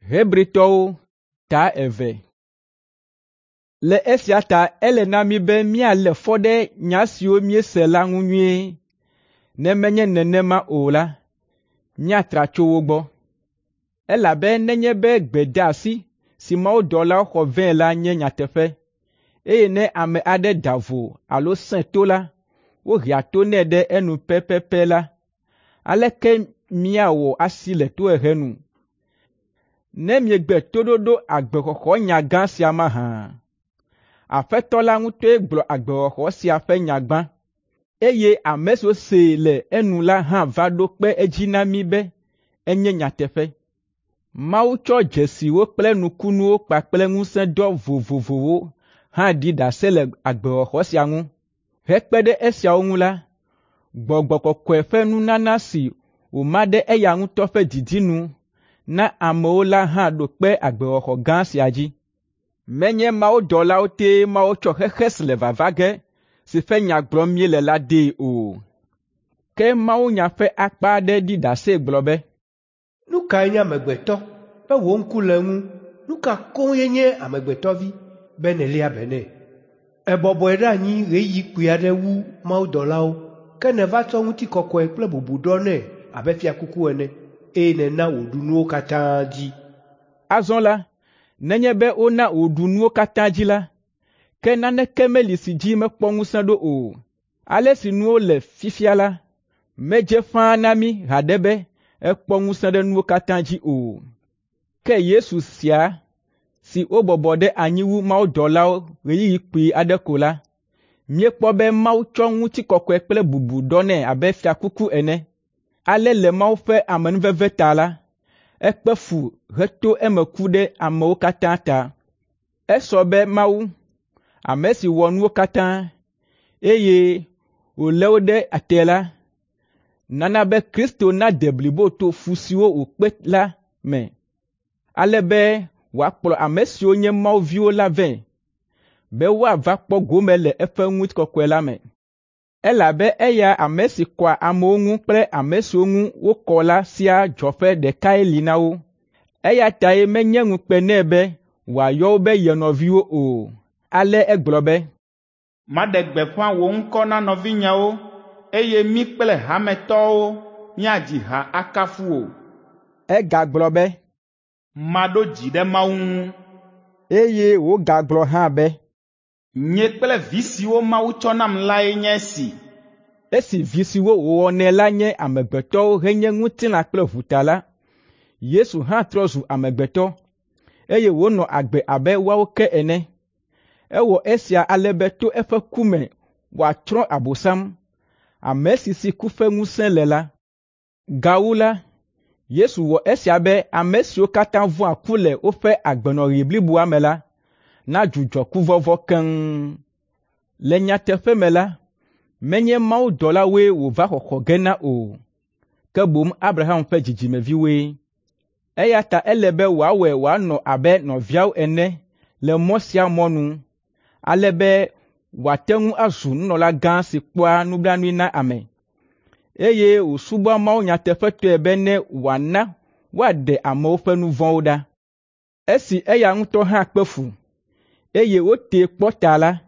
Hebritɔwo ta eve. Le esia ta ele na mí be míalé fɔ ɖe nya siwo míese la ŋu nyuie. Ne menye nenema o la, míatra tso wo gbɔ. Elabe nenye be gbedeasi si mawudɔlawo xɔ vɛ la nye nyateƒe, eye ne ame aɖe da vo alo sẽ to la, wohea to nɛ ɖe enu pɛpɛpɛ la, aleke míawɔ asi le tohehe nu? Ne miegbe toɖoɖo agbexɔxɔnya gã sia mahã? Aƒetɔ la ŋutɔe gblɔ agbexɔxɔ sia ƒe nya gbã, eye ame siwo see le enu la hã va ɖo kpe edzi na mí be enye nyateƒe. Mawu tsɔ dzesiwo kple nukunuwo kpakple ŋusẽdɔ vovovowo hã ɖi ɖase le agbexɔxɔ sia ŋu. Hekpe ɖe esiawo ŋu la, Gbɔgbɔ Kɔkɔe ƒe nunana si wòma ɖe eya ŋutɔ ƒe didi nu na amewo la hã ɖo kpe agbexɔxɔ gã sia dzi. Menye mawudɔlawo tee Mawu tsɔ xexe si le vava ge si ƒe nya gblɔm míele la dee o. Ke mawunya ƒe akpa aɖe ɖi ɖase gblɔ be, Nu kae nye amegbetɔ be wò ŋku le eŋu? Nu ka koŋ ye nye amegbetɔvi be nèléa be nɛ? Èbɔbɔe ɖe anyi ɣeyiɣi kpui aɖe wu mawudɔlawo, ke nèva tsɔ ŋutikɔkɔe kple bubu ɖɔ nɛ abe fiakuku ene, eye nèna wòɖu nuwo katã dzi. Azɔ la, nenye be wona wòɖu nuwo katã dzi la, ke naneke meli si dzi mekpɔ ŋusẽ ɖo o. Ale si nuwo le fifia la, medze ƒãa na mí haɖe be ekpɔ ŋusẽ ɖe nuwo katã dzi o. Ke Yesu sia si wobɔbɔ ɖe anyi wu mawudɔlawo ɣeyiɣi kpui aɖe ko la, míekpɔ be Mawu tsɔ ŋutikɔkɔe kple bubu ɖɔ nɛ abe fiakuku ene. Ale le Mawu ƒe amenuveve ta la, ekpe fu heto eme ku ɖe amewo katã ta. Esɔ be Mawu, ame si wɔ nuwo katã, eye wòlé wo ɖe te la, nana be Kristo nade blibo to fu siwo wòkpe la me, ale be wòakplɔ ame siwo nye Mawu viwo la vɛ, be woava kpɔ gome le eƒe ŋutikɔkɔe la me. Elabe eya ame si kɔa amewo ŋu kple ame siwo ŋu wokɔ la siaa dzɔƒe ɖekae li na wo. Eya tae menye ŋukpe nɛ be wòayɔ wo be ye nɔviwo o. Ale egblɔ be, Maɖe gbeƒã wò ŋkɔ na nɔvinyewo, eye mí kple hametɔwo míadzi ha akafu wò. Egagblɔ be, Maɖo dzi ɖe Mawu ŋu. Eye wògagblɔ hã be, Nye kple vi siwo Mawu tsɔ nam lae nye esi. Esi vi siwo wòwɔnɛ la nye amegbetɔwo henye ŋutilã kple ʋu ta la, Yesu hã trɔ zu amegbetɔ, eye wònɔ agbe abe woawo ke ene. Ewɔ esia ale be to eƒe ku me wòatsrɔ̃ Abosam, ame si si ku ƒe ŋusẽ le la. Gawu la, Yesu wɔ esia be ame siwo katã vɔ̃a ku le woƒe agbenɔɣi bliboa me la nadzudzɔ kuvɔvɔ̃ keŋ. Le nyateƒe me la, menye mawudɔlawoe wòva xɔxɔ ge na o, ke boŋ Abraham ƒe dzidzimeviwoe. Eya ta ele be wòawɔe wòanɔ abe nɔviawo ene le mɔ sia mɔ nu, ale be wòate ŋu azu nunɔlagã si kpɔa nublanui na ame, eye wòsubɔa Mawu nyateƒetɔe bene wòana woaɖe amewo ƒe nu vɔ̃wo ɖa. Esi eya ŋutɔ hã kpe fu, eye wotee kpɔ ta la,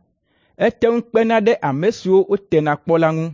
ete ŋu kpena ɖe ame siwo wotena kpɔ la ŋu.